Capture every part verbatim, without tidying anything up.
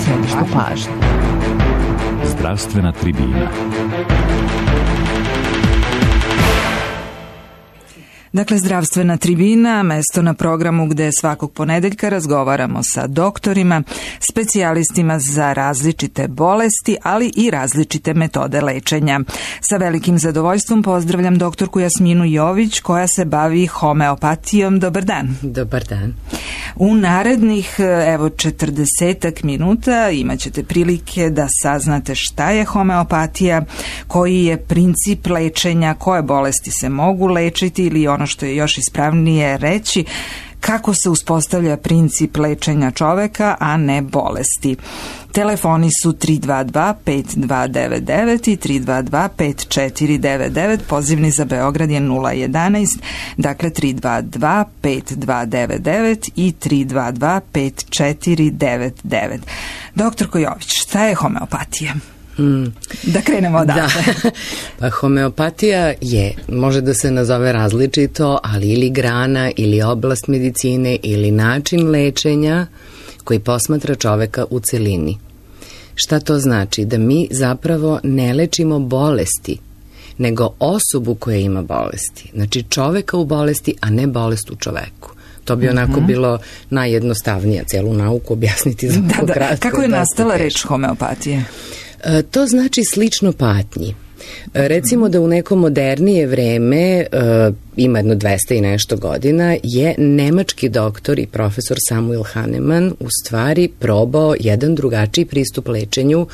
središtu pažnje. Zdravstvena tribina. Dakle, zdravstvena tribina, mesto na programu gde svakog ponedeljka razgovaramo sa doktorima, specijalistima za različite bolesti, ali i različite metode lečenja. Sa velikim zadovoljstvom pozdravljam doktorku Jasminu Jović, koja se bavi homeopatijom. Dobar dan. Dobar dan. U narednih, evo, četrdesetak minuta imat ćete prilike da saznate šta je homeopatija, koji je princip lečenja, koje bolesti se mogu lečiti ili ono što je još ispravnije reći, kako se uspostavlja princip lečenja čoveka, a ne bolesti. Telefoni su tri dva dva pet dva devet devet i tri dva dva pet četiri devet devet, pozivni za Beograd je nula jedanaest, dakle tri dva dva pet dva devet devet i tri dva dva pet četiri devet devet. Doktorko Jović, šta je homeopatija? Mm. Da krenemo odatle. Da. Pa homeopatija je, može da se nazove različito, ali ili grana, ili oblast medicine, ili način lečenja koji posmatra čoveka u celini. Šta to znači? Da mi zapravo ne lečimo bolesti, nego osobu koja ima bolesti. Znači čoveka u bolesti, a ne bolest u čoveku. To bi onako mm-hmm. bilo najjednostavnije celu nauku objasniti za da, da. Kako je nastala reč homeopatije? E, to znači slično patnji. E, recimo da u neko modernije vreme, e, ima jedno dvesta i nešto godina, je nemački doktor i profesor Samuel Hahnemann u stvari probao jedan drugačiji pristup lečenju,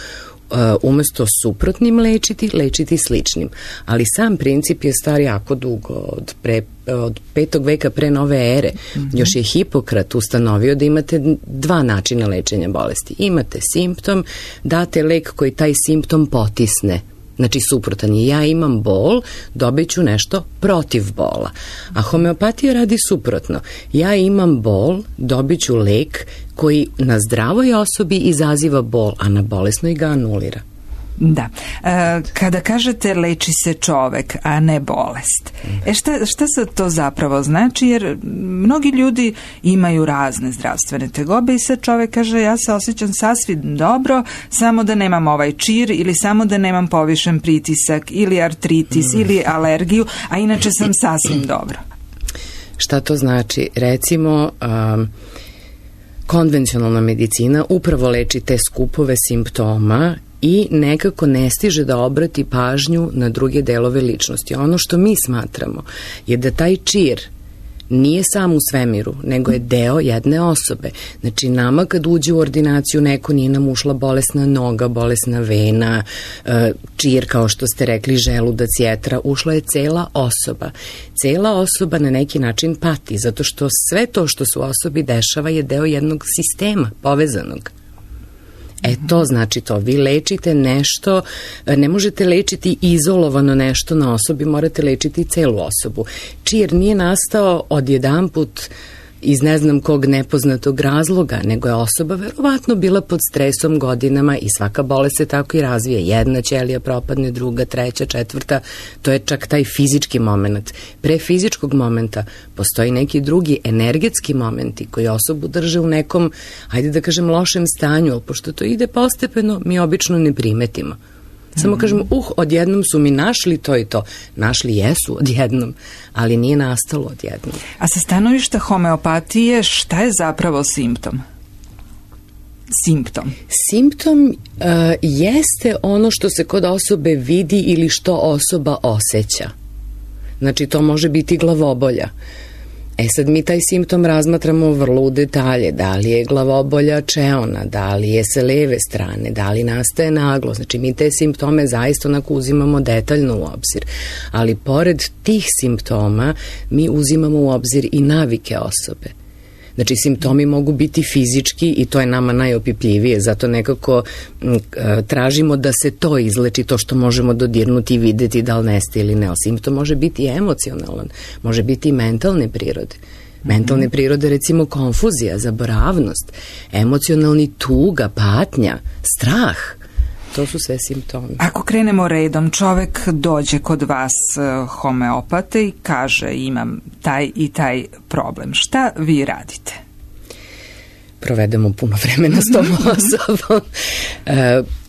Uh, umesto suprotnim lečiti, lečiti sličnim. Ali sam princip je star jako dugo, od, pre, od petog veka pre nove ere. Mm-hmm. Još je Hipokrat ustanovio da imate dva načina lečenja bolesti. Imate simptom, date lek koji taj simptom potisne. Znači suprotan je, ja imam bol, dobit ću nešto protiv bola. A homeopatija radi suprotno. Ja imam bol, dobit ću lek koji na zdravoj osobi izaziva bol, a na bolesnoj ga anulira. Da. E, kada kažete leči se čovek, a ne bolest, e šta, šta se to zapravo znači? Jer mnogi ljudi imaju razne zdravstvene tegobe i sad čovek kaže ja se osjećam sasvim dobro, samo da nemam ovaj čir ili samo da nemam povišen pritisak ili artritis mm. ili alergiju, a inače sam sasvim dobro. Šta to znači? Recimo, um, konvencionalna medicina upravo leči te skupove simptoma i nekako ne stiže da obrati pažnju na druge delove ličnosti. Ono što mi smatramo je da taj čir nije sam u svemiru, nego je deo jedne osobe. Znači, nama kad uđe u ordinaciju neko, nije nam ušla bolesna noga, bolesna vena, čir, kao što ste rekli, želudac, jetra, ušla je cela osoba. Cela osoba na neki način pati, zato što sve to što se u osobi dešava je deo jednog sistema povezanog. E to znači to, vi lečite nešto, ne možete lečiti izolovano nešto na osobi, morate lečiti celu osobu. Čir nije nastao odjedanput iz ne znam kog nepoznatog razloga, nego je osoba verovatno bila pod stresom godinama i svaka bolest se tako i razvije. Jedna ćelija propadne, druga, treća, četvrta, to je čak taj fizički moment. Pre fizičkog momenta postoji neki drugi energetski momenti koji osobu drže u nekom, hajde da kažem, lošem stanju, ali pošto to ide postepeno, mi obično ne primetimo. Samo kažemo, uh, odjednom su mi našli to i to. Našli jesu odjednom, ali nije nastalo odjednom. A sa stanovišta homeopatije, šta je zapravo simptom? Simptom? Simptom uh, jeste ono što se kod osobe vidi ili što osoba osjeća. Znači, to može biti glavobolja. E sad mi taj simptom razmatramo vrlo u detalje, da li je glavobolja čeona, da li je sa leve strane, da li nastaje naglo, znači mi te simptome zaista onako uzimamo detaljno u obzir, ali pored tih simptoma mi uzimamo u obzir i navike osobe. Znači, simptomi mogu biti fizički i to je nama najopipljivije, zato nekako m, tražimo da se to izleči, to što možemo dodirnuti i videti da li nestaje ili ne. Simptom može biti i emocionalan, može biti i mentalne prirode. Mentalne prirode, recimo konfuzija, zaboravnost, emocionalni tuga, patnja, strah. To su sve simptomi. Ako krenemo redom, čovek dođe kod vas homeopate i kaže imam taj i taj problem. Šta vi radite? provedemo puno vremena s tom osobom.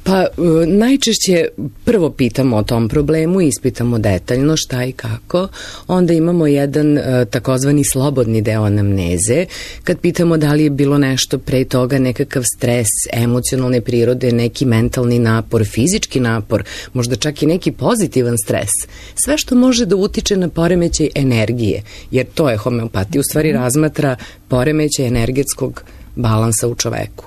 Pa najčešće prvo pitamo o tom problemu, ispitamo detaljno šta i kako, onda imamo jedan takozvani slobodni deo anamneze, kad pitamo da li je bilo nešto pre toga, nekakav stres, emocionalne prirode, neki mentalni napor, fizički napor, možda čak i neki pozitivan stres, sve što može da utiče na poremećaj energije, jer to je homeopatija, u stvari razmatra poremećaj energetskog balansa u čoveku.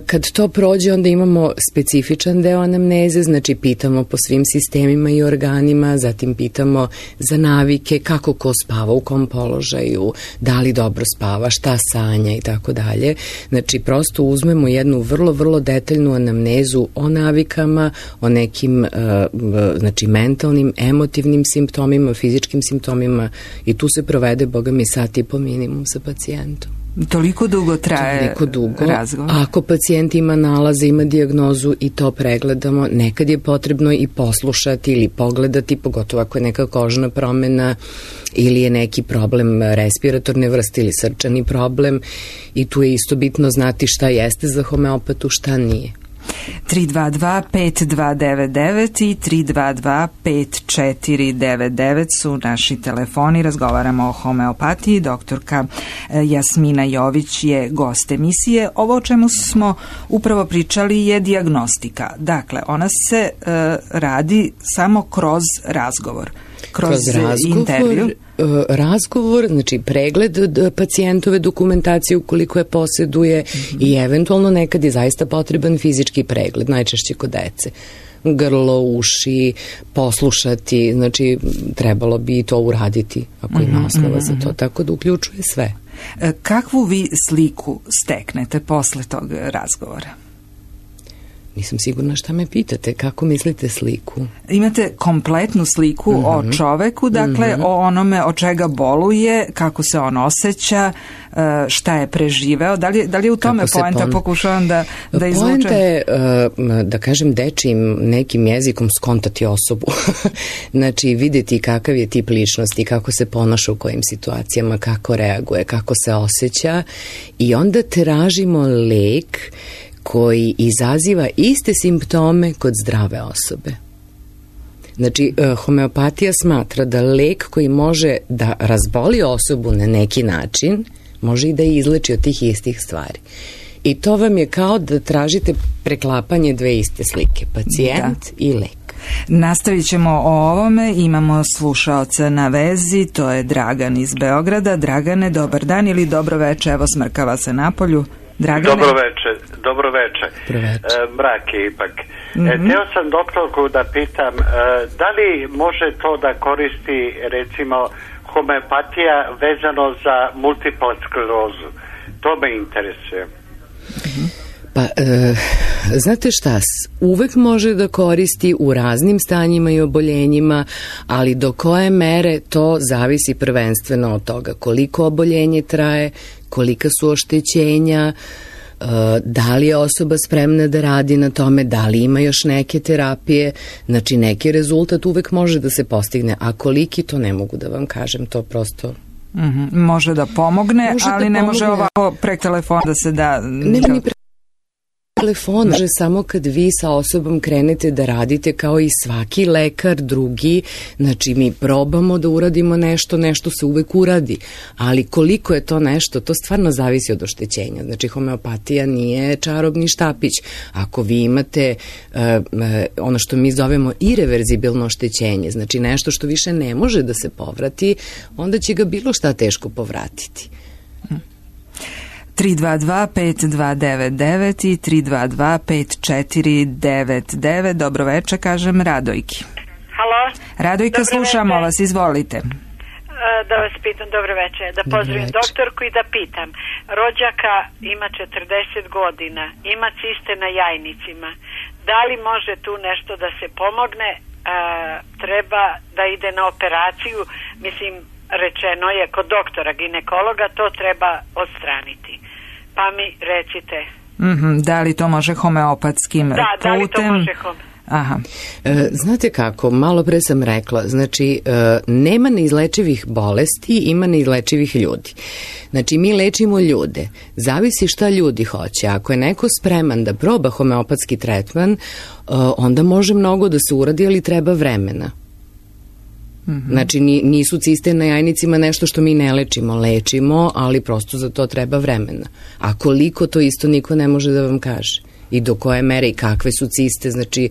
Kad to prođe, onda imamo specifičan deo anamneze, znači pitamo po svim sistemima i organima, zatim pitamo za navike, kako ko spava, u kom položaju, da li dobro spava, šta sanja i tako dalje. Znači prosto uzmemo jednu vrlo, vrlo detaljnu anamnezu o navikama, o nekim znači mentalnim, emotivnim simptomima, fizičkim simptomima i tu se provede, boga mi, sat i po minimum sa pacijentom. Toliko dugo traje Toliko dugo. razgovor? Ako pacijent ima nalaze, ima dijagnozu i to pregledamo, nekad je potrebno i poslušati ili pogledati, pogotovo ako je neka kožna promena ili je neki problem respiratorne vrste ili srčani problem i tu je isto bitno znati šta jeste za homeopatu, šta nije. tri dva dva pet dva devet devet i tri dva dva pet četiri devet devet su naši telefoni. Razgovaramo o homeopatiji. Doktorka Jasmina Jović je gost emisije. Ovo o čemu smo upravo pričali je dijagnostika. Dakle, ona se uh, radi samo kroz razgovor. Kroz, kroz razgovor, intervju. razgovor, znači pregled pacijentove dokumentacije ukoliko je poseduje mm-hmm. i eventualno nekad je zaista potreban fizički pregled, najčešće kod dece. Grlo, uši, poslušati, znači trebalo bi to uraditi ako ima mm-hmm. osnova za to, tako da uključuje sve. Kakvu vi sliku steknete posle tog razgovora? Nisam sigurna šta me pitate, kako mislite sliku? Imate kompletnu sliku mm-hmm. o čoveku, dakle mm-hmm. o onome od čega boluje, kako se on osjeća, šta je preživeo, da li, da li je u tome poenta, pon... pokušavam da, da izvučem? Poenta je, da kažem dečijim nekim jezikom, skontati osobu, znači vidjeti kakav je tip ličnosti, kako se ponaša u kojim situacijama, kako reaguje, kako se osjeća i onda tražimo lek koji izaziva iste simptome kod zdrave osobe. Znači, homeopatija smatra da lek koji može da razboli osobu na neki način, može i da je izleči od tih istih stvari. I to vam je kao da tražite preklapanje dve iste slike, pacijent da. i lek. Nastavit ćemo o ovome, imamo slušaoca na vezi, to je Dragan iz Beograda. Dragane, dobar dan ili dobro veče, evo smrkava se napolju. Dragane. Dobro veče, dobro veče. E, mrak je ipak. Mm-hmm. E, teo sam doktorku da pitam, e, da li može to da koristi recimo homeopatija vezano za multiplu sklerozu? To me interesuje. Mm-hmm. Pa, e, znate šta, uvek može da koristi u raznim stanjima i oboljenjima, ali do koje mere to zavisi prvenstveno od toga koliko oboljenje traje, kolika su oštećenja, da li je osoba spremna da radi na tome, da li ima još neke terapije, znači neki rezultat uvek može da se postigne, a koliki to ne mogu da vam kažem, to prosto... Mm-hmm. Može da pomogne, može ali da ne pomogne. Može ovako prek telefona da se da... Ne, ni pre... telefon može samo kad vi sa osobom krenete da radite kao i svaki lekar drugi, znači mi probamo da uradimo nešto, nešto se uvek uradi, ali koliko je to nešto, to stvarno zavisi od oštećenja, znači homeopatija nije čarobni štapić, ako vi imate uh, ono što mi zovemo ireverzibilno oštećenje, znači nešto što više ne može da se povrati, onda će ga bilo šta teško povratiti. tri dva dva pet dva devet devet i tri dva dva pet četiri devet devet. Dobro večer, kažem Radojki. Halo? Radojka, dobro slušamo večer. Vas, izvolite. Da vas pitam, dobro večer, da pozdravim doktorku i da pitam. Rođaka ima četrdeset godina, ima ciste na jajnicima. Da li može tu nešto da se pomogne? E, treba da ide na operaciju, mislim, rečeno je kod doktora ginekologa, to treba odstraniti. Pa mi recite. Mm-hmm, da li to može homeopatskim da, putem? Da, li to može hom... Aha. E, znate kako, malo pre sam rekla, znači e, nema neizlečivih bolesti, ima neizlečivih ljudi. Znači mi lečimo ljude, zavisi šta ljudi hoće. Ako je neko spreman da proba homeopatski tretman, e, onda može mnogo da se uradi, ali treba vremena. Mm-hmm. Znači nisu ciste na jajnicima nešto što mi ne lečimo, lečimo, ali prosto za to treba vremena. A koliko, to isto niko ne može da vam kaže. I do koje mere i kakve su ciste, znači...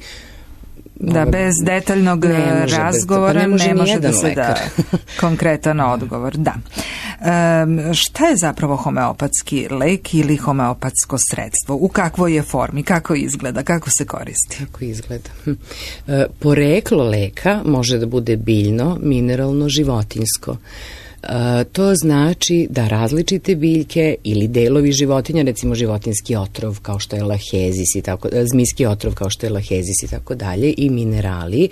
Da, bez detaljnog razgovora ne može, ne može da se da konkretan odgovor. Da. E, šta je zapravo homeopatski lek ili homeopatsko sredstvo? U kakvoj je formi? Kako izgleda? Kako se koristi? Kako izgleda? E, poreklo leka može da bude biljno, mineralno, životinjsko. Uh, to znači da različite biljke ili delovi životinja, recimo životinski otrov kao što je lahezis i tako, zmijski otrov kao što je lahezis i tako dalje, i minerali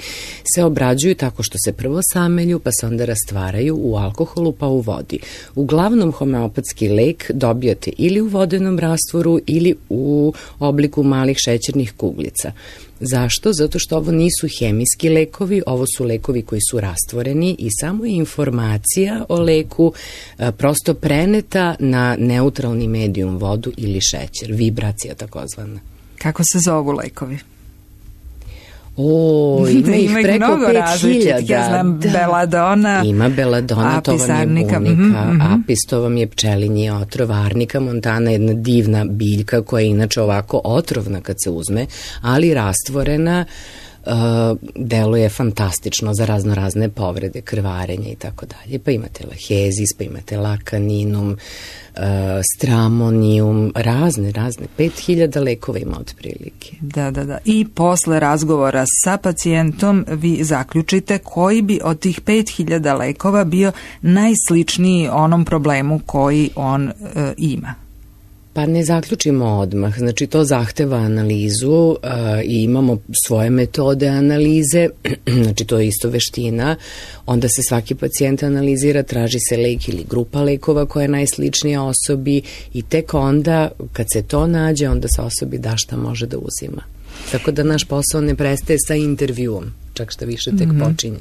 se obrađuju tako što se prvo samelju pa se onda rastvaraju u alkoholu pa u vodi. Uglavnom homeopatski lek dobijate ili u vodenom rastvoru ili u obliku malih šećernih kuglica. Zašto? Zato što ovo nisu hemijski lekovi, ovo su lekovi koji su rastvoreni i samo je informacija o leku a, prosto preneta na neutralni medijum, vodu ili šećer, vibracija takozvana. Kako se zovu lekovi? O, ima ih preko pet hiljada. Ja znam, da. Beladona. Ima beladona, to vam je bunika, mm-hmm. apis, to vam je pčelinji otrov, arnika montana, jedna divna biljka koja je inače ovako otrovna kad se uzme, ali rastvorena, uh, deluje fantastično za razno razne povrede, krvarenja i tako dalje. Pa imate lahezis, pa imate lakaninum, Uh, stramonijum, razne, razne, pet hiljada lekova ima otprilike. Da, da, da. I posle razgovora sa pacijentom vi zaključite koji bi od tih pet hiljada lekova bio najsličniji onom problemu koji on uh, ima. Pa ne zaključimo odmah, znači to zahteva analizu uh, i imamo svoje metode analize, znači to je isto veština, onda se svaki pacijent analizira, traži se lek ili grupa lekova koja je najsličnija osobi i tek onda kad se to nađe, onda se osobi da šta može da uzima. Tako da naš posao ne prestaje sa intervjuom, čak šta više tek mm-hmm. počinje.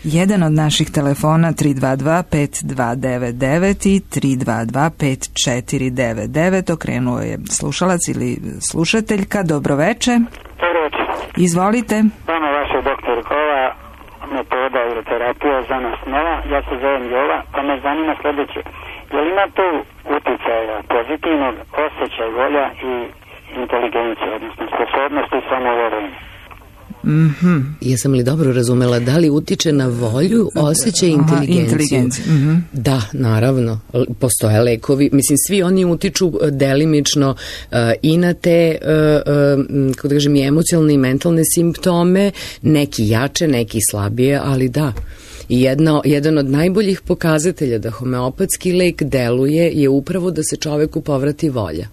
Jedan od naših telefona tri dva dva pet dva devet devet i tri dva dva pet četiri devet devet, okrenuo je slušalac ili slušateljka. Dobroveče. Dobroveče. Izvolite. Vama vaša doktorkova metoda uroterapija za nas nova, ja se zovem Jova, pa me zanima sljedeće. Je li ima tu uticaja pozitivnog osjećaja, volja i inteligencija, odnosno sposobnosti samovorenja? Mm-hmm. Jesam li dobro razumela, da li utiče na volju, osjećaj i inteligenciju? Mm-hmm. Da, naravno, postoje lekovi, mislim svi oni utiču delimično uh, i na te uh, uh, kako da kažem, i emocionalne i mentalne simptome, neki jače, neki slabije, ali da. I jedna, jedan od najboljih pokazatelja da homeopatski lek deluje je upravo da se čoveku povrati volja.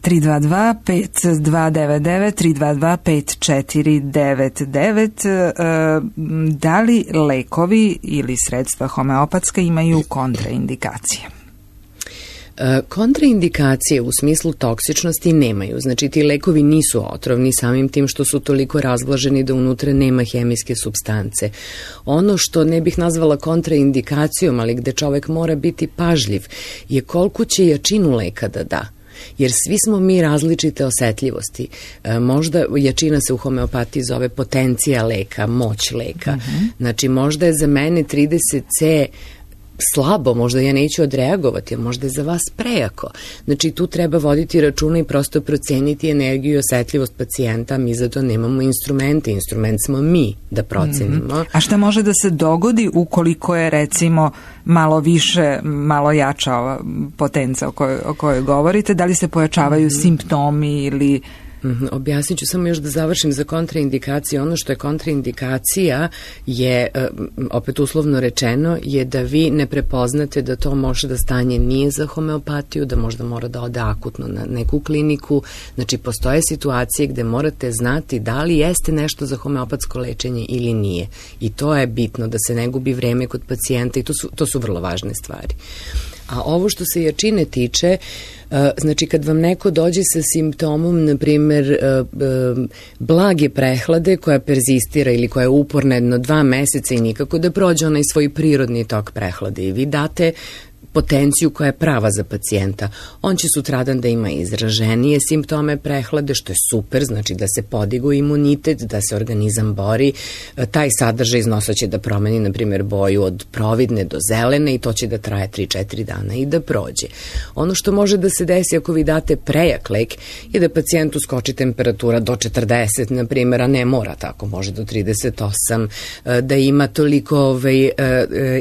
tri dva dva pet dva devet devet, tri dva dva pet četiri devet devet. Da li lekovi ili sredstva homeopatska imaju kontraindikacije? Kontraindikacije u smislu toksičnosti nemaju. Znači ti lekovi nisu otrovni samim tim što su toliko razblaženi da unutra nema hemijske supstance. Ono što ne bih nazvala kontraindikacijom, ali gde čovek mora biti pažljiv, je koliko će jačinu leka da da. Jer svi smo mi različite osetljivosti. E, možda jačina se u homeopatiji zove potencija leka, moć leka. Mm-hmm. Znači možda je za mene trideset ce slabo, možda ja neću odreagovati, a možda je za vas prejako. Znači tu treba voditi računa i prosto proceniti energiju i osetljivost pacijenta, mi za to nemamo instrumente, instrument smo mi da procenimo. Mm-hmm. A šta može da se dogodi ukoliko je recimo malo više, malo jača ova potenca o kojoj, o kojoj govorite, da li se pojačavaju mm-hmm. simptomi ili... Mm, objasnit ću samo još da završim za kontraindikacije. Ono što je kontraindikacija je, opet uslovno rečeno, je da vi ne prepoznate da to može da stanje nije za homeopatiju, da možda mora da ode akutno na neku kliniku. Znači, postoje situacije gde morate znati da li jeste nešto za homeopatsko lečenje ili nije. I to je bitno, da se ne gubi vreme kod pacijenta i to su, to su vrlo važne stvari. A ovo što se jačine tiče, Znači, kad vam neko dođe sa simptomom, na primjer, blage prehlade koja perzistira ili koja je uporna jedno dva meseca i nikako da prođe onaj svoj prirodni tok prehlade i vi date potenciju koja je prava za pacijenta. On će sutradan da ima izraženije simptome prehlade, što je super, znači da se podigu imunitet, da se organizam bori. Taj sadržaj iz nosa će da promeni, na primjer, boju od providne do zelene i to će da traje tri četiri dana i da prođe. Ono što može da se desi ako vi date prejak lek je da pacijentu skoči temperatura do četrdeset, na primjer, a ne mora tako, može do trideset osam, da ima toliko ovaj,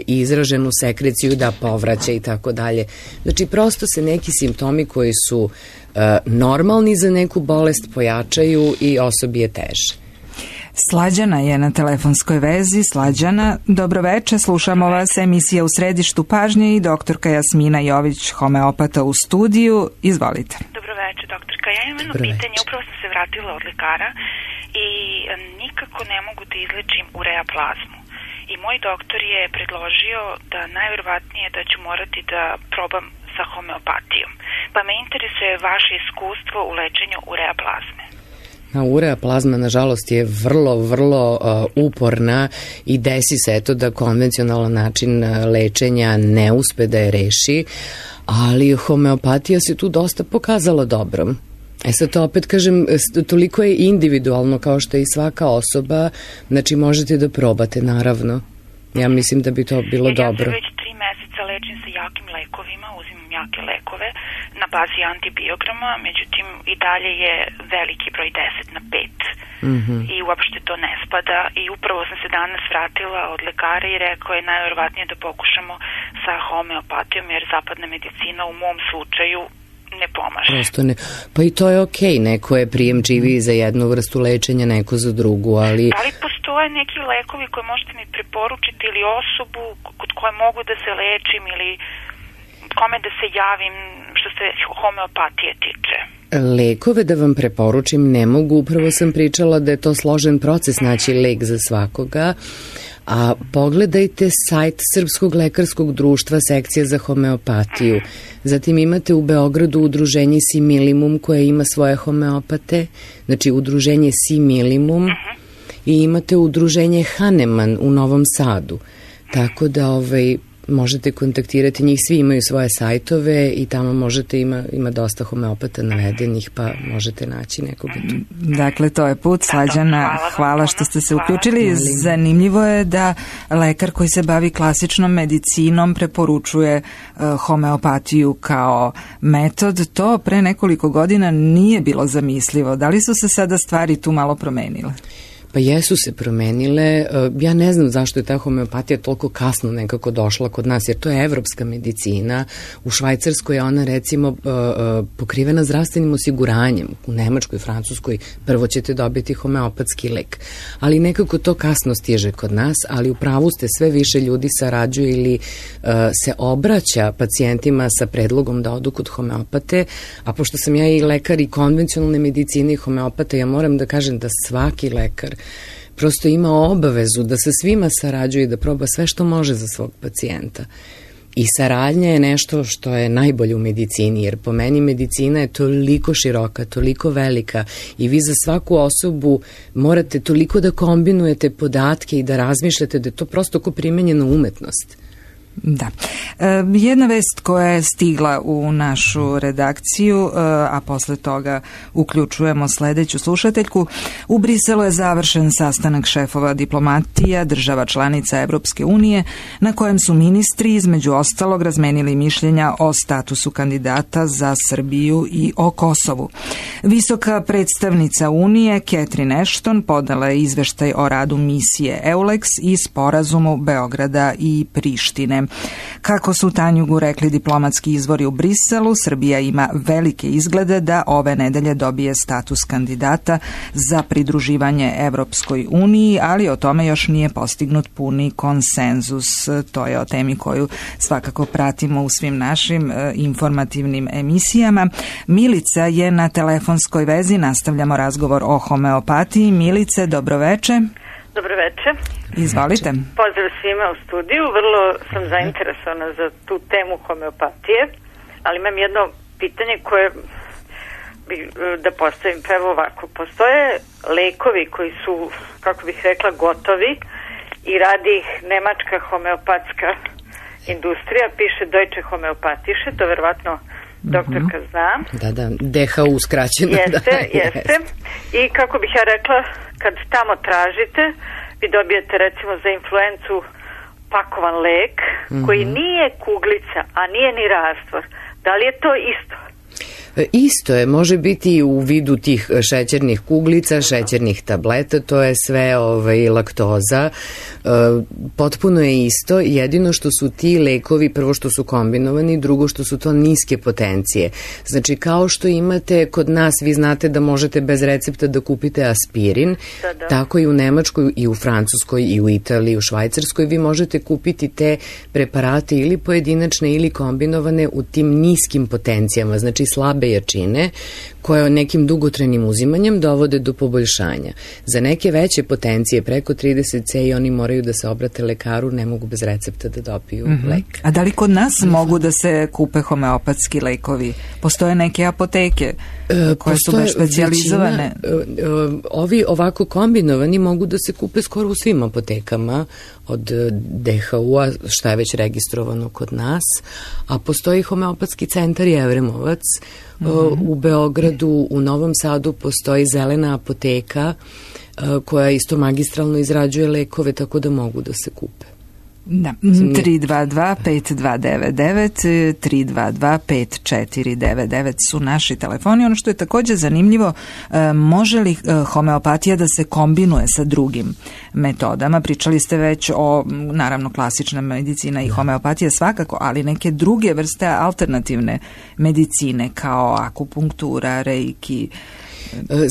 izraženu sekreciju da povraća i tako dalje. Znači, prosto se neki simptomi koji su uh, normalni za neku bolest pojačaju i osobi je teže. Slađana je na telefonskoj vezi. Slađana, dobroveče, slušamo vas, emisija U središtu pažnje i doktorka Jasmina Jović, homeopata u studiju. Izvolite. Dobroveče, doktorka. Ja imam jedno pitanje, upravo sam se vratila od lekara i nikako ne mogu da izlečim ureaplazmu. I moj doktor je predložio da najverovatnije da ću morati da probam sa homeopatijom. Pa me interesuje vaše iskustvo u lečenju ureaplazme. A ureaplazma, nažalost, je vrlo, vrlo uh, uporna i desi se eto da konvencionalan način lečenja ne uspe da je reši, ali homeopatija se tu dosta pokazala dobrom. E sad to opet kažem, toliko je individualno kao što je i svaka osoba, znači možete da probate, naravno. Ja mislim da bi to bilo Jer dobro. Ja se već tri meseca lečim sa jakim lekovima, uzimam jake lekove na bazi antibiograma, međutim i dalje je veliki broj deset na pet. Mm-hmm. I uopšte to ne spada i upravo sam se danas vratila od lekara i rekao je najverovatnije da pokušamo sa homeopatijom, jer zapadna medicina u mom slučaju ne pomaže. Prosto ne. Pa i to je okej, okay. Neko je prijemčiviji za jednu vrstu lečenja, neko za drugu, ali... Da li postoje neki lekovi koje možete mi preporučiti ili osobu kod koje mogu da se lečim ili kome da se javim što se homeopatije tiče? Lekove da vam preporučim ne mogu, upravo sam pričala da je to složen proces naći lek za svakoga, a pogledajte sajt Srpskog lekarskog društva, sekcija za homeopatiju. Zatim imate u Beogradu udruženje Similimum koje ima svoje homeopate, znači udruženje Similimum, i imate udruženje Hahnemann u Novom Sadu. Tako da ovaj, možete kontaktirati njih, svi imaju svoje sajtove i tamo možete, ima, ima dosta homeopata navedenih, pa možete naći nekoga tu. Dakle, to je put. Slađana, hvala što ste se uključili. Zanimljivo je da lekar koji se bavi klasičnom medicinom preporučuje uh, homeopatiju kao metod. To pre nekoliko godina nije bilo zamislivo. Da li su se sada stvari tu malo promenile? Pa jesu se promenile. Ja ne znam zašto je ta homeopatija toliko kasno nekako došla kod nas, jer to je evropska medicina. U Švajcarskoj je ona recimo pokrivena zdravstvenim osiguranjem. U Nemačkoj, Francuskoj prvo ćete dobiti homeopatski lek. Ali nekako to kasno stiže kod nas, ali u pravu ste, sve više ljudi sarađuje ili uh, se obraća pacijentima sa predlogom da odu kod homeopate, a pošto sam ja i lekar i konvencionalne medicine i homeopata, ja moram da kažem da svaki lekar prosto ima obavezu da sa svima sarađuje i da proba sve što može za svog pacijenta. I saradnja je nešto što je najbolje u medicini, jer po meni medicina je toliko široka, toliko velika i vi za svaku osobu morate toliko da kombinujete podatke i da razmišljate da je to prosto ko primenjena umetnost. Da. E, jedna vest koja je stigla u našu redakciju, e, a posle toga uključujemo sledeću slušateljku. U Briselu je završen sastanak šefova diplomatija država članica Evropske unije, na kojem su ministri između ostalog razmenili mišljenja o statusu kandidata za Srbiju i o Kosovu. Visoka predstavnica Unije, Catherine Ashton, podala je izveštaj o radu misije EULEX i sporazumu Beograda i Prištine. Kako su Tanjugu rekli diplomatski izvori u Briselu, Srbija ima velike izglede da ove nedelje dobije status kandidata za pridruživanje Evropskoj uniji, ali o tome još nije postignut puni konsenzus. To je o temi koju svakako pratimo u svim našim e, informativnim emisijama. Milica je na telefonskoj vezi, nastavljamo razgovor o homeopatiji. Milice, dobroveče. Dobroveče. Izvolite. Pozdrav svima u studiju. Vrlo sam zainteresovana za tu temu homeopatije, ali imam jedno pitanje koje bi da postavim, pa evo ovako, postoje lekovi koji su, kako bih rekla, gotovi i radi ih nemačka homeopatska industrija, piše Deutsche Homöopathische, to verovatno doktorka zna. Da, da, D H U skraćeno. Jeste, da, jeste. I kako bih ja rekla, kad tamo tražite, vi dobijete recimo za influencu pakovan lek, mm-hmm. koji nije kuglica, a nije ni rastvor. Da li je to isto? Isto je, može biti i u vidu tih šećernih kuglica, šećernih tableta, to je sve ovaj, laktoza. E, potpuno je isto, jedino što su ti lekovi, prvo što su kombinovani, drugo što su to niske potencije. Znači, kao što imate kod nas, vi znate da možete bez recepta da kupite aspirin, da, da. Tako i u Nemačkoj, i u Francuskoj, i u Italiji, i u Švajcarskoj, vi možete kupiti te preparate ili pojedinačne ili kombinovane u tim niskim potencijama, znači slabe jačine, koje nekim dugotrajnim uzimanjem dovode do poboljšanja. Za neke veće potencije, preko trideset ce, i oni moraju da se obrate lekaru, ne mogu bez recepta da dobiju mm-hmm. lek. A da li kod nas mm-hmm. mogu da se kupe homeopatski lekovi? Postoje neke apoteke koje Postoje su baš specijalizovane? Većina, ovi ovako kombinovani mogu da se kupe skoro u svim apotekama od D H U-a, šta je već registrovano kod nas, a postoji homeopatski centar Jevremovac, mm-hmm. u Beogradu, u Novom Sadu postoji zelena apoteka koja isto magistralno izrađuje lekove, tako da mogu da se kupe. Da, tri dva dva pet dva devet devet, tri dva dva pet četiri devet devet su naši telefoni. Ono što je također zanimljivo, može li homeopatija da se kombinuje sa drugim metodama? Pričali ste već o, naravno, klasična medicina i homeopatija svakako, ali neke druge vrste alternativne medicine kao akupunktura, reiki.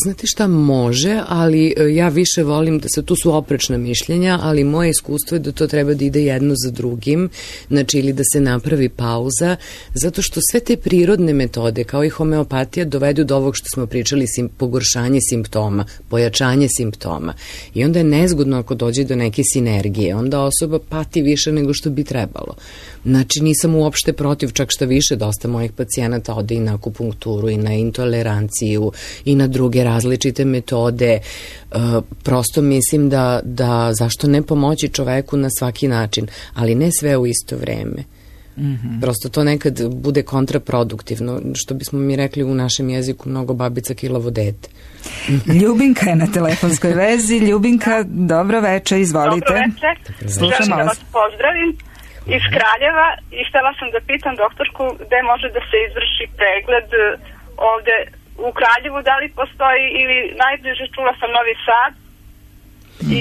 Znate šta, može, ali ja više volim da se, tu su oprečna mišljenja, ali moje iskustvo je da to treba da ide jedno za drugim, znači ili da se napravi pauza, zato što sve te prirodne metode, kao i homeopatija, dovedu do ovog što smo pričali, sim, pogoršanje simptoma, pojačanje simptoma. I onda je nezgodno ako dođe do neke sinergije, onda osoba pati više nego što bi trebalo. Znači, nisam uopšte protiv, čak šta više, dosta mojih pacijenata ode i na akupunkturu, i na intoleranciju, i na druge različite metode. E, prosto mislim da, da zašto ne pomoći čoveku na svaki način, ali ne sve u isto vreme. Mm-hmm. Prosto to nekad bude kontraproduktivno, što bismo mi rekli u našem jeziku, mnogo babica kilavo dete. Ljubinka je na telefonskoj vezi. Ljubinka, dobro veče, izvolite. Dobro veče, želim da vas pozdravim iz Kraljeva i htjela sam da pitam doktorku gde može da se izvrši pregled ovde u Kraljevu, da li postoji, ili najbliže čula sam Novi Sad i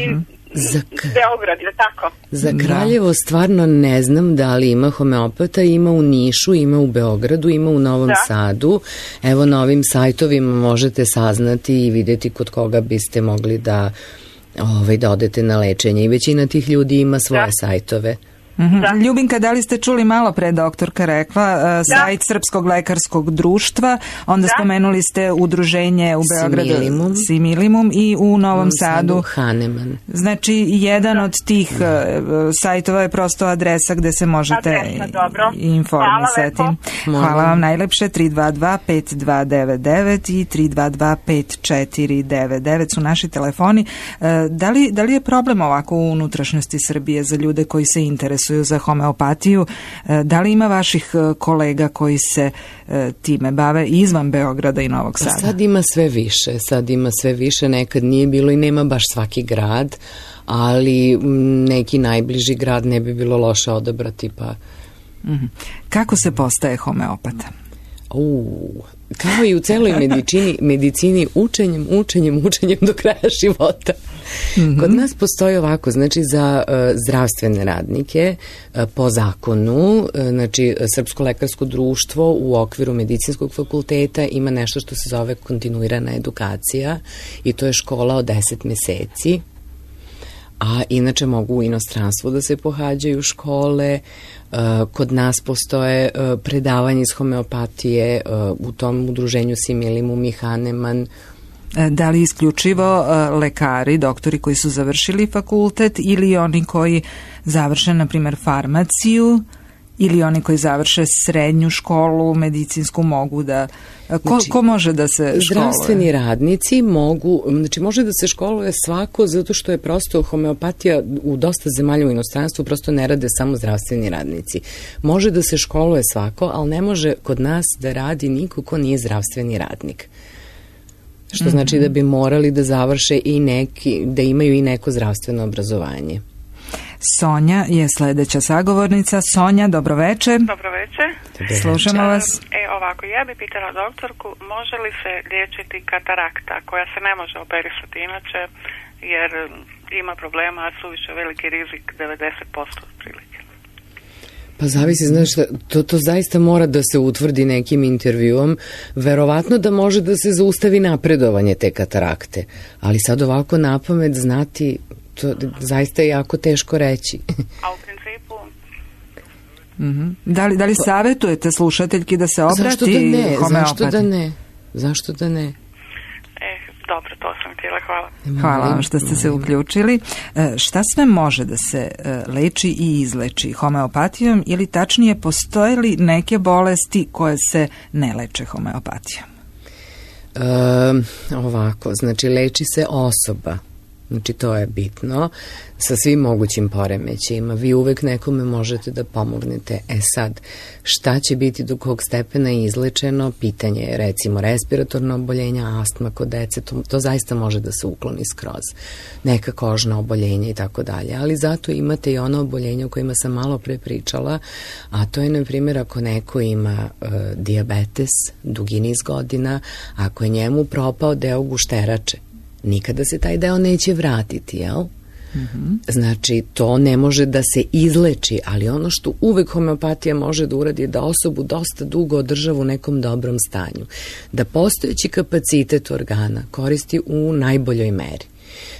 za k... Beograd, je tako? Za Kraljevo stvarno ne znam da li ima homeopata, ima u Nišu, ima u Beogradu, ima u Novom da. Sadu. Evo, na ovim sajtovima možete saznati i vidjeti kod koga biste mogli da, ovaj, da odete na lečenje, i većina tih ljudi ima svoje da. sajtove. Mm-hmm. Da. Ljubinka, da li ste čuli malo pre doktorka rekla, uh, sajt Srpskog lekarskog društva, onda da. spomenuli ste udruženje u Beogradu Similimum, Similimum i u Novom Sadu Hahnemann. Znači, jedan da. od tih uh, sajtova je prosto adresa gde se možete Adresa, dobro. informisati. Hvala, Hvala vam najlepše. Tri dva dva pet dva devet devet i tri dva dva pet četiri devet devet su naši telefoni. Uh, da, li, da li je problem ovako u unutrašnjosti Srbije za ljude koji se interesuju za homeopatiju? Da li ima vaših kolega koji se time bave izvan Beograda i Novog Sada? Sad ima sve više, sad ima sve više, nekad nije bilo i nema baš svaki grad, ali neki najbliži grad ne bi bilo loše odabrati. Pa. Mm-hmm. Kako se postaje homeopata? Uuu, kao i u celoj medicini, medicini učenjem, učenjem, učenjem do kraja života. Mm-hmm. Kod nas postoji ovako, znači za uh, zdravstvene radnike uh, po zakonu, uh, znači Srpsko lekarsko društvo u okviru medicinskog fakulteta ima nešto što se zove kontinuirana edukacija, i to je škola od deset meseci. A inače mogu u inostranstvu da se pohađaju škole. Kod nas postoje predavanje iz homeopatije u tom udruženju Similimum i Hahnemann. Da li isključivo lekari, doktori koji su završili fakultet, ili oni koji završe, na primjer, farmaciju Ili oni koji završe srednju školu, medicinsku, mogu da... Ko, znači, ko može da se školuje? Zdravstveni radnici mogu, znači može da se školuje svako, zato što je prosto homeopatija u dosta zemalja u inostranstvu, prosto ne rade samo zdravstveni radnici. Može da se školuje svako, ali ne može kod nas da radi niko ko nije zdravstveni radnik. Što mm-hmm. znači da bi morali da završe i neki, da imaju i neko zdravstveno obrazovanje. Sonja je sledeća sagovornica. Sonja, dobroveče. Dobroveče. Slušamo vas. E, ovako, ja bih pitala doktorku, može li se liječiti katarakta koja se ne može operisati inače, jer ima problema, a suviše veliki rizik, devedeset posto otprilike. Pa zavisi, znaš, to, to zaista mora da se utvrdi nekim intervjuom. Verovatno da može da se zaustavi napredovanje te katarakte, ali sad ovako napamet znati, to zaista je jako teško reći. A u principu... Mm-hmm. Da li, da li savjetujete slušateljki da se obrati zašto da ne? homeopati? Zašto da ne? Zašto da ne? E, dobro, to sam htjela, hvala. Hvala vam što ste se uključili. E, šta sve može da se e, leči i izleči homeopatijom, ili tačnije postoje li neke bolesti koje se ne leče homeopatijom? E, ovako, znači leči se osoba. Znači to je bitno, sa svim mogućim poremećajima. Vi uvek nekome možete da pomognete. E sad, šta će biti do kog stepena izlečeno? Pitanje je, recimo, respiratorno oboljenja, astma kod dece, to, to zaista može da se ukloni skroz. Neka kožna oboljenja i tako dalje. Ali zato imate i ono oboljenje o kojima sam malo pre pričala, a to je, na primjer, ako neko ima e, dijabetes dugi niz godina, ako je njemu propao deo gušterače, nikada se taj deo neće vratiti, jel? Mm-hmm. Znači, to ne može da se izleči, ali ono što uvek homeopatija može da uradi je da osobu dosta dugo održava u nekom dobrom stanju. Da postojeći kapacitet organa koristi u najboljoj meri.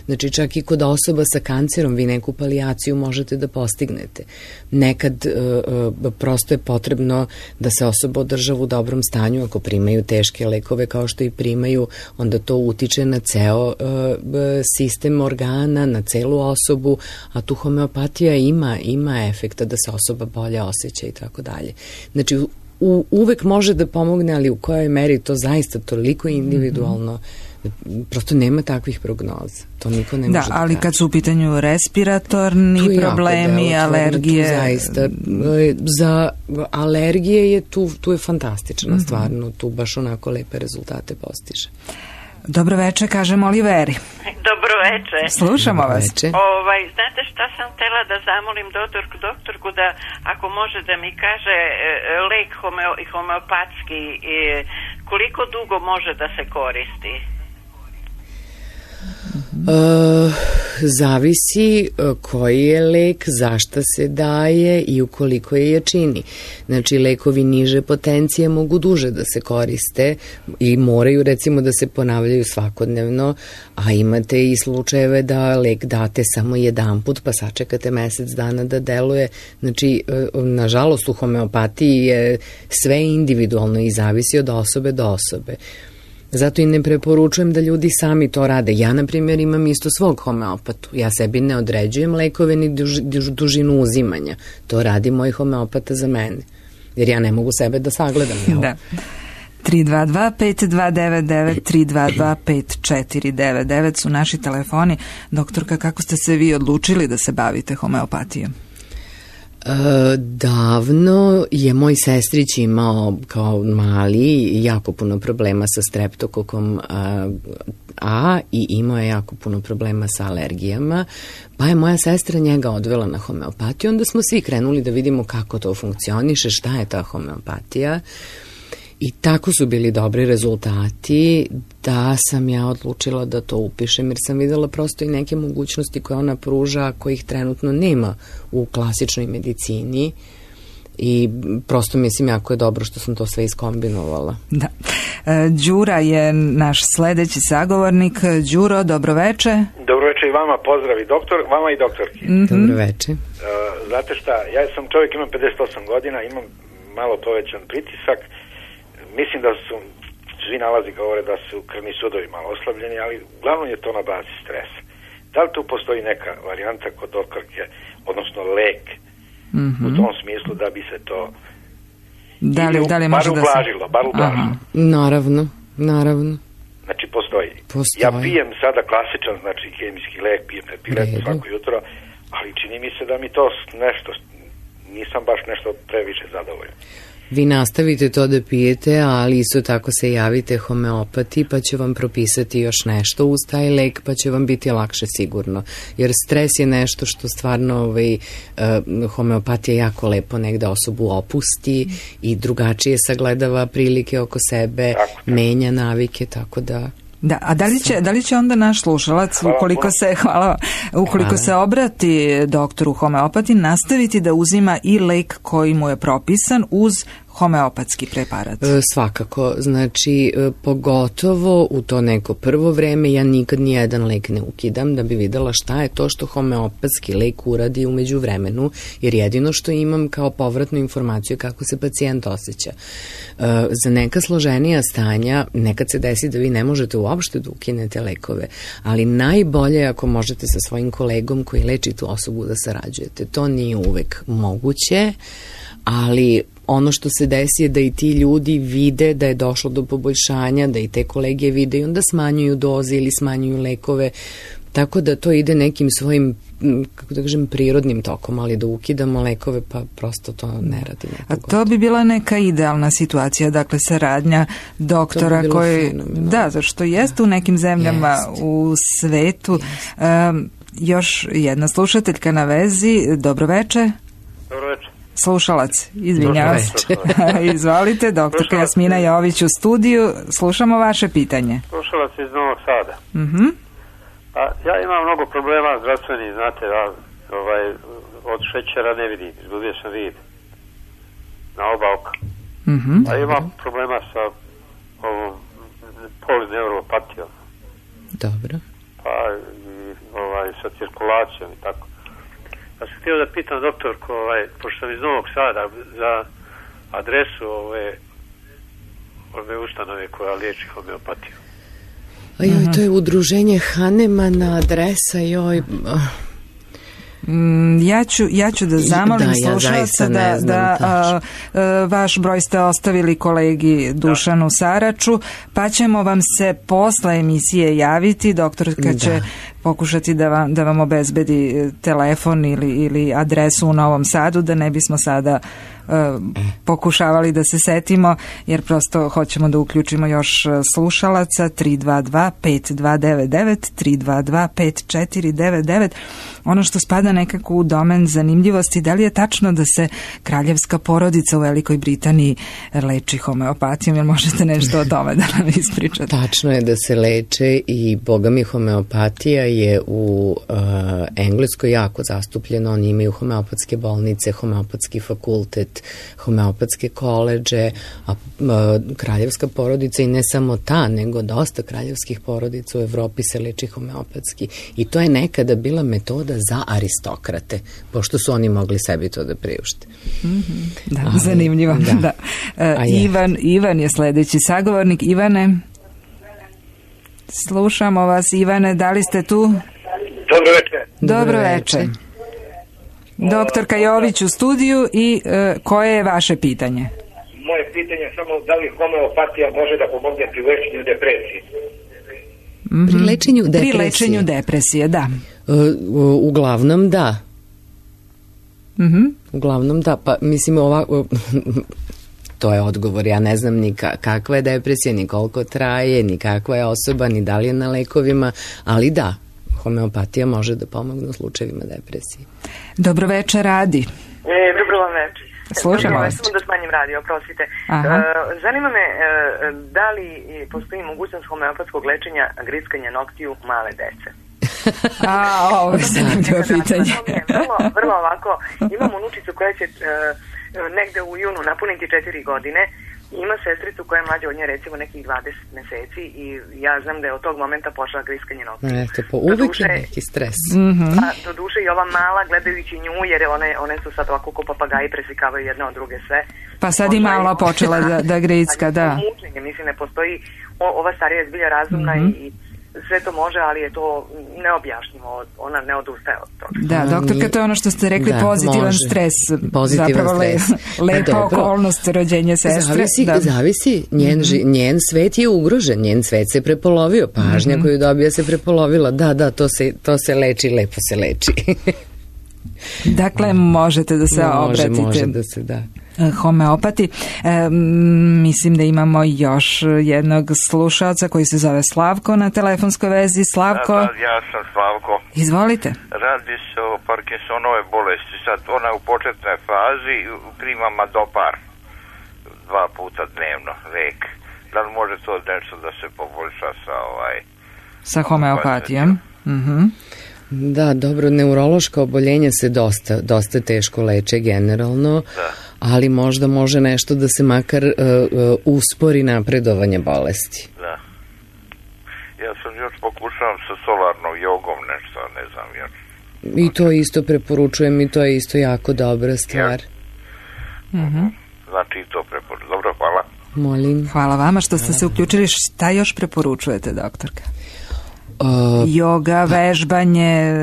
Znači, čak i kod osoba sa kancerom vi neku palijaciju možete da postignete. Nekad e, e, prosto je potrebno da se osoba održava u dobrom stanju. Ako primaju teške lekove kao što i primaju, onda to utiče na ceo e, sistem organa, na celu osobu, a tu homeopatija ima, ima efekta da se osoba bolje osjeća i tako dalje. Znači, u, uvek može da pomogne, ali u kojoj meri to zaista toliko individualno, mm-hmm. prosto nema takvih prognoza. To niko ne da, može da ali kaže. kad su u pitanju respiratorni problemi, alergije... Tu zaista, za alergije je tu, tu je fantastična mm-hmm. stvarno, tu baš onako lepe rezultate postiže. Dobro veče, kažem Oliveri. Dobro veče. Slušamo vas. Ovaj, znate šta sam htjela da zamolim doktorku, doktorku da ako može da mi kaže lek homeo, homeopatski, koliko dugo može da se koristi? Uh, zavisi koji je lek, zašta se daje i u koliko je jačini. Znači, lekovi niže potencije mogu duže da se koriste i moraju, recimo, da se ponavljaju svakodnevno, a imate i slučajeve da lek date samo jedan put, pa sačekate mesec dana da deluje. Znači, nažalost, u homeopatiji je sve individualno i zavisi od osobe do osobe. Zato i ne preporučujem da ljudi sami to rade. Ja, na primjer, imam isto svog homeopatu. Ja sebi ne određujem lekove ni duž, duž, dužinu uzimanja. To radi moj homeopata za mene. Jer ja ne mogu sebe da sagledam. Jel? Da. tri dva dva pet dva devet devet, tri dva dva pet četiri devet devet su naši telefoni. Doktorka, kako ste se vi odlučili da se bavite homeopatijom? E, davno je moj sestrić imao kao mali jako puno problema sa streptokokom a, A i imao je jako puno problema sa alergijama, pa je moja sestra njega odvela na homeopatiju. Onda smo svi krenuli da vidimo kako to funkcioniše, šta je ta homeopatija. I tako su bili dobri rezultati da sam ja odlučila da to upišem, jer sam videla prosto i neke mogućnosti koje ona pruža, kojih trenutno nema u klasičnoj medicini, i prosto mislim jako je dobro što sam to sve iskombinovala. Da. E, Đura je naš sledeći sagovornik. Đuro, dobroveče. Dobroveče i vama, pozdravi doktor, vama i doktorki. Mm-hmm. Dobroveče. E, znate šta, ja sam čovjek, imam pedeset osam godina, imam malo povećan pritisak. Mislim da su, svi nalazi govore da su krvni sudovi malo oslabljeni, ali uglavnom je to na bazi stresa. Da li tu postoji neka varijanta kod doktorke, odnosno lek, mm-hmm. u tom smislu da bi se to da li, da li bar ublažilo, bar ublažilo. Naravno, naravno. Znači, postoji. postoji. Ja pijem sada klasičan, znači, hemijski lek, pijem epilet svako jutro, ali čini mi se da mi to nešto, nisam baš nešto previše zadovoljan. Vi nastavite to da pijete, ali isto tako se javite homeopati, pa će vam propisati još nešto uz taj lek, pa će vam biti lakše sigurno. Jer stres je nešto što stvarno ovaj, uh, homeopatija jako lepo negde osobu opusti i drugačije sagledava prilike oko sebe, tako, tako. menja navike, tako da... Da, a da li će, da li će onda naš slušalac, ukoliko se, hvala, ukoliko hvala. se obrati doktoru homeopati, nastaviti da uzima i lek koji mu je propisan uz homeopatski preparat? E, svakako, znači e, pogotovo u to neko prvo vreme ja nikad ni jedan lek ne ukidam da bi videla šta je to što homeopatski lek uradi umeđu vremenu, jer jedino što imam kao povratnu informaciju je kako se pacijent osjeća. E, za neka složenija stanja nekad se desi da vi ne možete uopšte da ukinete lekove, ali najbolje je ako možete sa svojim kolegom koji leči tu osobu da sarađujete. To nije uvek moguće, ali ono što se desi je da i ti ljudi vide da je došlo do poboljšanja, da i te kolege vide i onda smanjuju doze ili smanjuju lekove, tako da to ide nekim svojim, kako da kažem, prirodnim tokom, ali da ukidamo lekove, pa prosto to ne radi. A to bi bila neka idealna situacija, dakle saradnja doktora bi koji, da, zašto jeste u nekim zemljama jest. u svetu. Um, još jedna slušateljka na vezi, dobroveče. Dobroveče. Slušalac, izvinjavam se. Izvolite, doktorka Jasmina Jović u studiju, slušamo vaše pitanje. Slušalac iz Novog Sada. Uh-huh. Pa, ja imam mnogo problema zdravstvenih, znate, ja, ovaj, od šećera ne vidim, izgubio sam vid na oba oka. Uh-huh. A imam problema sa ovom polineuropatijom. Dobro. Pa i ovaj, sa cirkulacijom i tako. Ja sam htio da pitam doktorku, ovaj, pošto sam iz Novog Sada, za adresu ove, ove ustanove koja liječi homeopatiju. A joj, to je udruženje Hanemana, adresa, joj... Mm, ja, ću, ja ću da zamolim da, slušalca ja da, da a, a, vaš broj ste ostavili kolegi Dušanu da. Saraču, pa ćemo vam se posle emisije javiti, doktorka će da. pokušati da vam, da vam obezbedi telefon ili, ili adresu u Novom Sadu, da ne bismo sada uh, pokušavali da se setimo, jer prosto hoćemo da uključimo još slušalaca. Tri dva dva pet dva devet devet, tri dva dva pet četiri devet devet. Ono što spada nekako u domen zanimljivosti, da li je tačno da se kraljevska porodica u Velikoj Britaniji leči homeopatijom, jer možete nešto o tome da nam ispričate? Tačno je da se leče i boga mi homeopatija je u uh, Engleskoj jako zastupljeno. Oni imaju homeopatske bolnice, homeopatski fakultet, homeopatske koleđe, a uh, kraljevska porodica i ne samo ta, nego dosta kraljevskih porodica u Evropi se leči homeopatski. I to je nekada bila metoda za aristokrate, pošto su oni mogli sebi to da priušte. Mm-hmm. Da, ali, zanimljivo. Da. Da. Uh, Ivan, Ivan je sledeći sagovornik. Ivane, slušamo vas. Ivane, da li ste tu? Dobro večer. Dobro večer. Doktorka Jović u studiju i uh, koje je vaše pitanje? Moje pitanje je samo da li homeopatija može da pomogne pri lečenju depresije? Mm-hmm. Pri lečenju depresije? Pri lečenju depresije, da. Uh, uglavnom da. Mm-hmm. Uglavnom da, pa mislim ovako... To je odgovor, ja ne znam ni kakva je depresija, ni koliko traje, ni kakva je osoba, ni da li je na lekovima, ali da, homeopatija može da pomogne u slučajevima depresije. Dobro večer, Radi. E, dobro vam večer. Slušamo vas. Samo da smanjim radio, oprostite. Uh, zanima me uh, da li postoji mogućnost homeopatskog lečenja grickanja noktiju male dece? A, ovo je zanimljivo pitanje. Vrlo, vrlo ovako, imam unučicu koja će uh, negde u junu napuniti četiri godine. Ima sestricu koja je mlađa od nje recimo nekih dvadeset meseci i ja znam da je od tog momenta pošla griskanje noktiju. Eto, po uvijek je neki stres. Mm-hmm. A, do duše i ova mala, gledajući nju, jer one, one su sad ovako ko papagaji, preslikavaju jedna od druge sve. Pa sad i mala počela da, da gricka, da. Mučenje, mislim, ne postoji, o, ova starija je zbilja razumna mm-hmm. i sve to može, ali je to neobjašnjivo, ona ne odustaje od toga. Da, doktorka, to je ono što ste rekli, da, pozitivan može. stres, pozitivan zapravo stres. Le, lepa pa okolnost rođenja sestre. Zavisi, da. zavisi. Njen, mm-hmm. njen svet je ugrožen, njen svet se prepolovio, pažnja mm-hmm. koju dobija se prepolovila, da, da, to se, to se leči, lepo se leči. Dakle, možete da se može, obratite. Može da se, da. Homeopati. E, mislim da imamo još jednog slušalca koji se zove Slavko na telefonskoj vezi. Slavko? Da, da, ja sam Slavko. Izvolite. Radi se o Parkinsonove bolesti. Sad ona je u početnoj fazi, prima Madopar dva puta dnevno, lek. Da li može to nešto da se poboljša sa ovaj... Sa homeopatijom? Mhm. Da, dobro, neurološka oboljenja se dosta, dosta teško leče generalno, da. Ali možda može nešto da se makar uh, uh, uspori napredovanje bolesti. Da. Ja sam još pokušavam sa solarnom jogom nešto, ne znam još. I to isto preporučujem i to je isto jako dobra stvar. Ja. Mm-hmm. Znači i to preporučujem. Dobro, hvala. Molim. Hvala vama što ste se uključili. Šta još preporučujete, doktorka? Uh, Joga, vežbanje,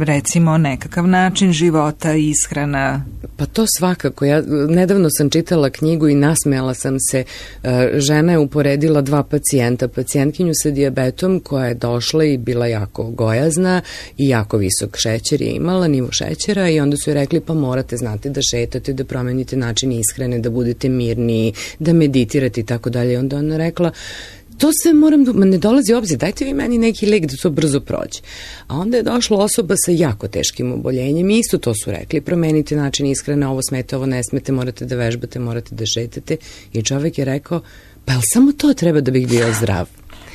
recimo nekakav način života, ishrana. Pa to svakako. Ja nedavno sam čitala knjigu i nasmejala sam se. Uh, žena je uporedila dva pacijenta. Pacijentkinju sa dijabetom koja je došla i bila jako gojazna i jako visok šećer je imala, nivo šećera, i onda su joj rekli pa morate znati da šetate, da promenite način ishrane, da budete mirni, da meditirate i tako dalje. Onda ona rekla to sve moram, ma ne dolazi u obzir, dajte vi meni neki lek da to brzo prođe. A onda je došla osoba sa jako teškim oboljenjem i isto to su rekli, promenite način ishrane, ovo smete, ovo ne smete, morate da vežbate, morate da šetate. I čovek je rekao, pa jel samo to treba da bih bio zdrav?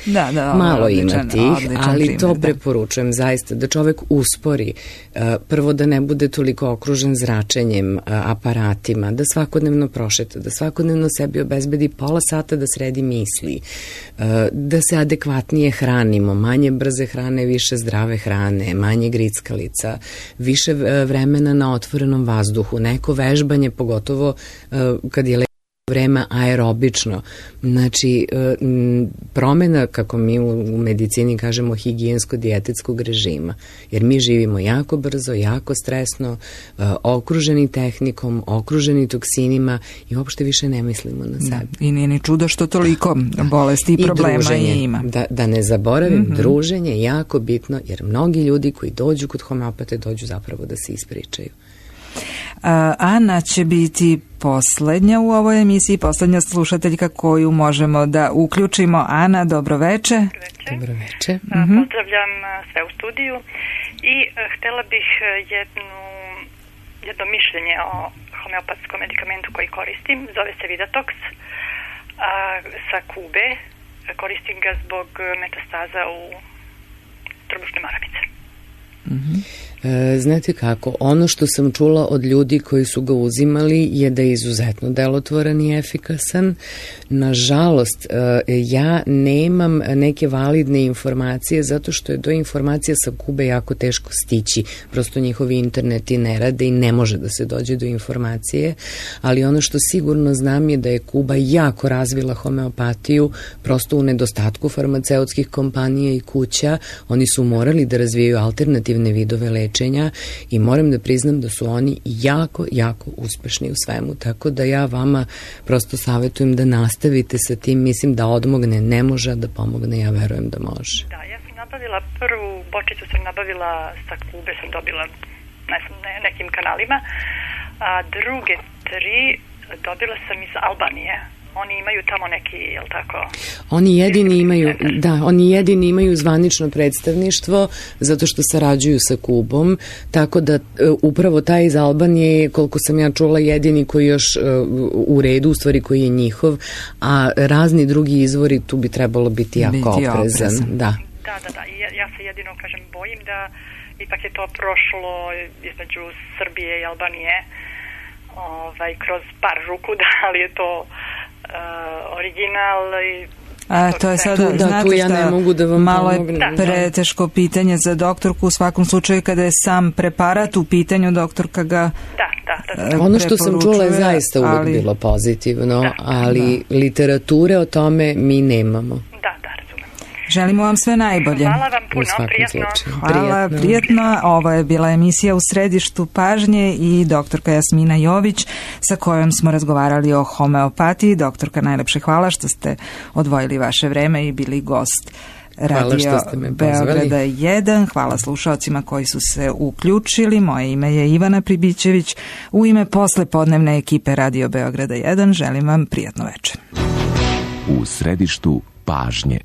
Da, da, malo odličan, ima tih, ali primjer, to da. preporučujem zaista, da čovek uspori, uh, prvo da ne bude toliko okružen zračenjem, uh, aparatima, da svakodnevno prošeta, da svakodnevno sebi obezbedi pola sata da sredi misli, uh, da se adekvatnije hranimo, manje brze hrane, više zdrave hrane, manje grickalica, više vremena na otvorenom vazduhu, neko vežbanje, pogotovo uh, kad je vreme aerobično. Znači, promjena, kako mi u medicini kažemo, higijensko-dijetetskog režima. Jer mi živimo jako brzo, jako stresno, okruženi tehnikom, okruženi toksinima i uopšte više ne mislimo na sebi. I nije ni čudo što toliko bolesti i problema i ima. Da, da ne zaboravim, mm-hmm. druženje je jako bitno, jer mnogi ljudi koji dođu kod homeopate dođu zapravo da se ispričaju. Ana će biti poslednja u ovoj emisiji, poslednja slušateljka koju možemo da uključimo. Ana, dobroveče. Dobroveče. Mm-hmm. Pozdravljam sve u studiju i htela bih jednu, jedno mišljenje o homeopatskom medikamentu koji koristim. Zove se Vidatox a, sa Kube. Koristim ga zbog metastaza u trbušne maramice. Mhm. E, znate kako, ono što sam čula od ljudi koji su ga uzimali je da je izuzetno delotvoran i efikasan. Nažalost, e, ja nemam neke validne informacije zato što je do informacija sa Kube jako teško stići. Prosto njihovi interneti ne rade i ne može da se dođe do informacije, ali ono što sigurno znam je da je Kuba jako razvila homeopatiju, prosto u nedostatku farmaceutskih kompanija i kuća. Oni su morali da razvijaju alternativne vidove lečenja i moram da priznam da su oni jako, jako uspešni u svemu, tako da ja vama prosto savjetujem da nastavite sa tim. Mislim da odmogne ne može, da pomogne ja verujem da može. Da, ja sam nabavila prvu bočicu, sam nabavila sa Kube, sam dobila ne znam, ne, nekim kanalima, a druge tri dobila sam iz Albanije. Oni imaju tamo neki, jel tako? Oni jedini imaju, da, oni jedini imaju zvanično predstavništvo zato što sarađuju sa Kubom, tako da upravo taj iz Albanije, koliko sam ja čula, jedini koji još u redu, u stvari koji je njihov, a razni drugi izvori tu bi trebalo biti jako biti oprezan. oprezan. Da. Da, da, da. Ja, ja se jedino, kažem, bojim da ipak je to prošlo između Srbije i Albanije ovaj, kroz par ruku, da li je to Uh, original i A to je sada, da, znate ja šta, ne mogu da vam malo je pomognem. preteško pitanje za doktorku, u svakom slučaju kada je sam preparat u pitanju, doktorka ga da, da, da, da. Ono što sam čula je zaista uvek ali, bilo pozitivno, da, ali da. literature o tome mi nemamo. Da, da, razumem. Želimo vam sve najbolje. Hvala vam puno, prijatno. Hvala, prijatno. Ovo je bila emisija U središtu pažnje i doktorka Jasmina Jović sa kojom smo razgovarali o homeopatiji. Doktorka, najlepše hvala što ste odvojili vaše vreme i bili gost Radio Beograda jedan. Hvala slušaocima koji su se uključili. Moje ime je Ivana Pribićević. U ime poslepodnevne ekipe Radio Beograda jedan želim vam prijatno večer. U središtu pažnje.